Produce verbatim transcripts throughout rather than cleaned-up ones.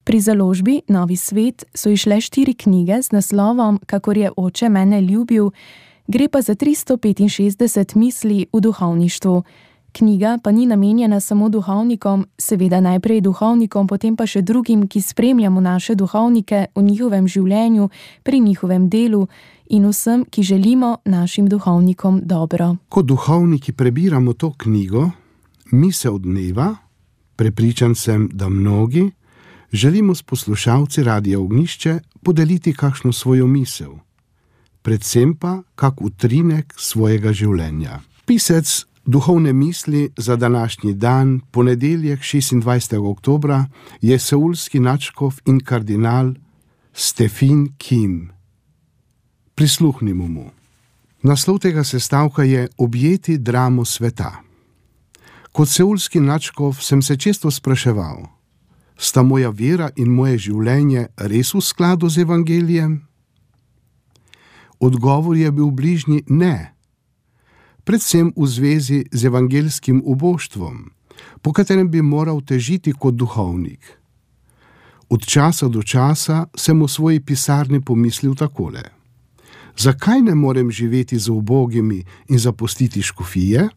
Pri založbi Novi svet so izšle štiri knjige z naslovom Kakor je oče mene ljubil, gre pa za tristo petinšestdeset misli v duhovništvu. Knjiga pa ni namenjena samo duhovnikom, seveda najprej duhovnikom, potem pa še drugim, ki spremljamo naše duhovnike v njihovem življenju, pri njihovem delu in vsem, ki želimo našim duhovnikom dobro. Ko duhovniki prebiramo to knjigo, Misel dneva, prepričan sem, da mnogi, želimo s poslušalci Radia Ognjišče podeliti kakšno svojo misel, predvsem pa kak utrinek svojega življenja. Pisec duhovne misli za današnji dan, ponedeljek šestindvajsetega oktobra, je seulski nadškof in kardinal Stephen Kim. Prisluhnimo mu. Naslov tega sestavka je Objeti dramo sveta. Kot seulski nadškof sem se često spraševal, sta moja vera in moje življenje res v skladu z evangelijem? Odgovor je bil bližnji ne, predvsem v zvezi z evangelskim uboštvom, po katerem bi moral težiti kot duhovnik. Od časa do časa sem v svoji pisarni pomislil takole: zakaj ne morem živeti z ubogimi in zapustiti škofije?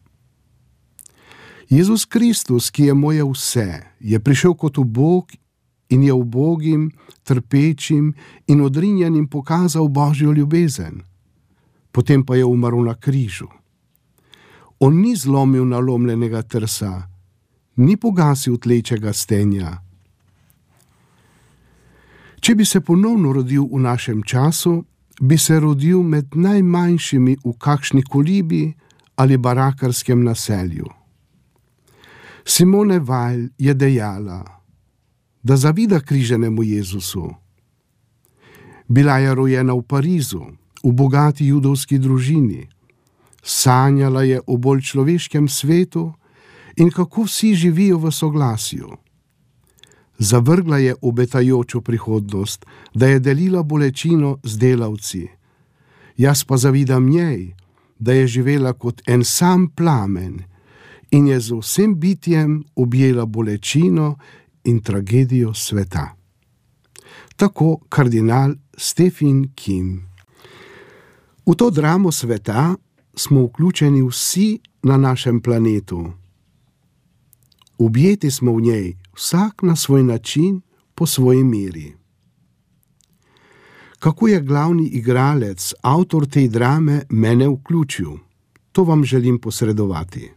Jezus Kristus, ki je moje vse, je prišel kot ubog in je ubogim, trpečim in odrinjenim pokazal Božjo ljubezen. Potem pa je umrl na križu. On ni zlomil nalomljenega trsa, ni pogasil tlečega stenja. Če bi se ponovno rodil v našem času, bi se rodil med najmanjšimi v kakšni kolibi ali barakarskem naselju. Simone Weil je dejala, da zavida križanemu Jezusu. Bila je rojena v Parizu, v bogati judovski družini. Sanjala je o bolj človeškem svetu in kako vsi živijo v soglasju. Zavrgla je obetajočo prihodnost, da je delila bolečino z delavci. Jaz pa zavidam njej, da je živela kot en sam plamen in je z vsem bitjem objela bolečino in tragedijo sveta. Tako kardinal Stephen Kim. V to dramo sveta smo vključeni vsi na našem planetu. Objeti smo v njej, vsak na svoj način, po svoji meri. Kako je glavni igralec, avtor te drame, mene vključil? To vam želim posredovati.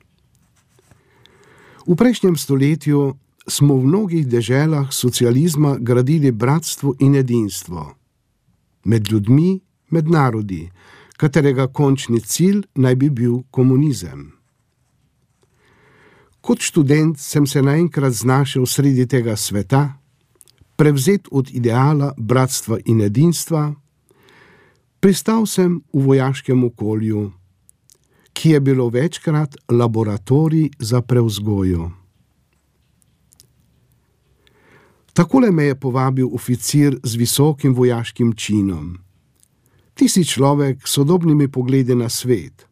V prejšnjem stoletju smo v mnogih deželah socializma gradili bratstvo in edinstvo. Med ljudmi, med narodi, katerega končni cilj naj bi bil komunizem. Kot študent sem se naenkrat znašel sredi tega sveta, prevzet od ideala bratstva in edinstva, pristal sem v vojaškem okolju, ki je bilo večkrat laboratorij za prevzgojo. Takole me je povabil oficir z visokim vojaškim činom. Ti si človek s sodobnimi pogledi na svet.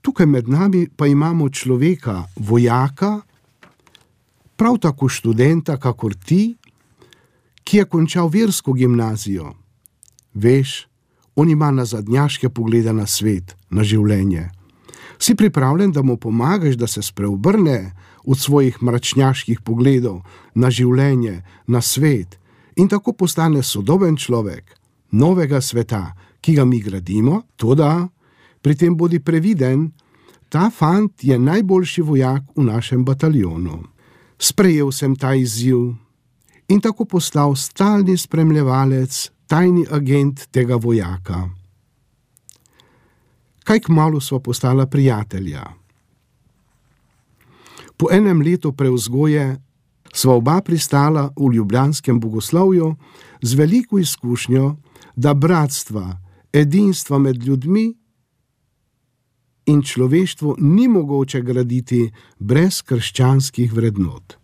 Tukaj med nami pa imamo človeka, vojaka, prav tako študenta, kakor ti, ki je končal versko gimnazijo. Veš, on ima nazadnjaške poglede na svet, na življenje. Si pripravljen, da mu pomagaš, da se spreobrne od svojih mračnjaških pogledov na življenje, na svet in tako postane sodoben človek novega sveta, ki ga mi gradimo, toda pri tem bodi previden, ta fant je najboljši vojak v našem bataljonu. Sprejel sem ta izziv in tako postal stalni spremljevalec, tajni agent tega vojaka. Kaj kmalu sva postala prijatelja. Po enem letu prevzgoje sva oba pristala v ljubljanskem bogoslovju z veliko izkušnjo, da bratstva, edinstva med ljudmi in človeštvo ni mogoče graditi brez krščanskih vrednot.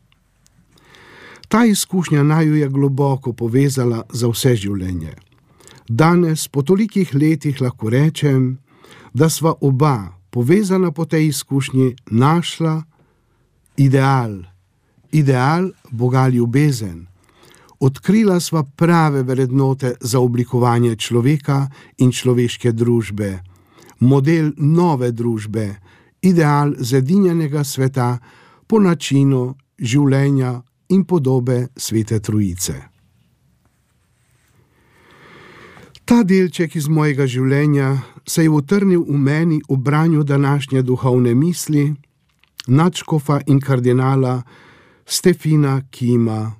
Ta izkušnja naju je globoko povezala za vse življenje. Danes, po tolikih letih, lahko rečem, da sva oba, povezana po tej izkušnji, našla ideal, ideal Boga ljubezen, Odkrila sva prave vrednote za oblikovanje človeka in človeške družbe, model nove družbe, ideal zedinjenega sveta po načinu življenja in podobe Svete Trojice. Ta delček iz mojega življenja se je utrnil v meni v branju današnje duhovne misli nadškofa in kardinala Stefina Kima.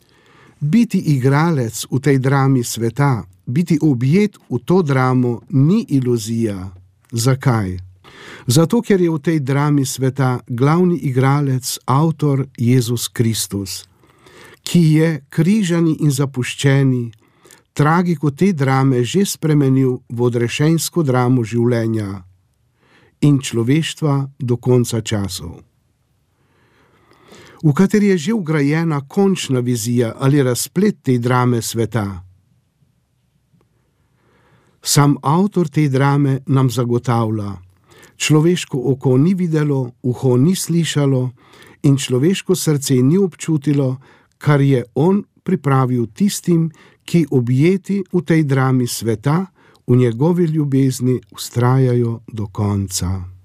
Biti igralec v tej drami sveta, biti objet v to dramo ni iluzija. Zakaj? Zato, ker je v tej drami sveta glavni igralec, avtor Jezus Kristus, ki je križani in zapuščeni, tragiko te drame že spremenil v odrešensko dramo življenja in človeštva do konca časov, v kateri je že vgrajena končna vizija ali razplet te drame sveta. Sam avtor te drame nam zagotavlja: človeško oko ni videlo, uho ni slišalo in človeško srce ni občutilo, kar je on pripravil tistim, ki objeti v tej drami sveta, v njegovi ljubezni vztrajajo do konca.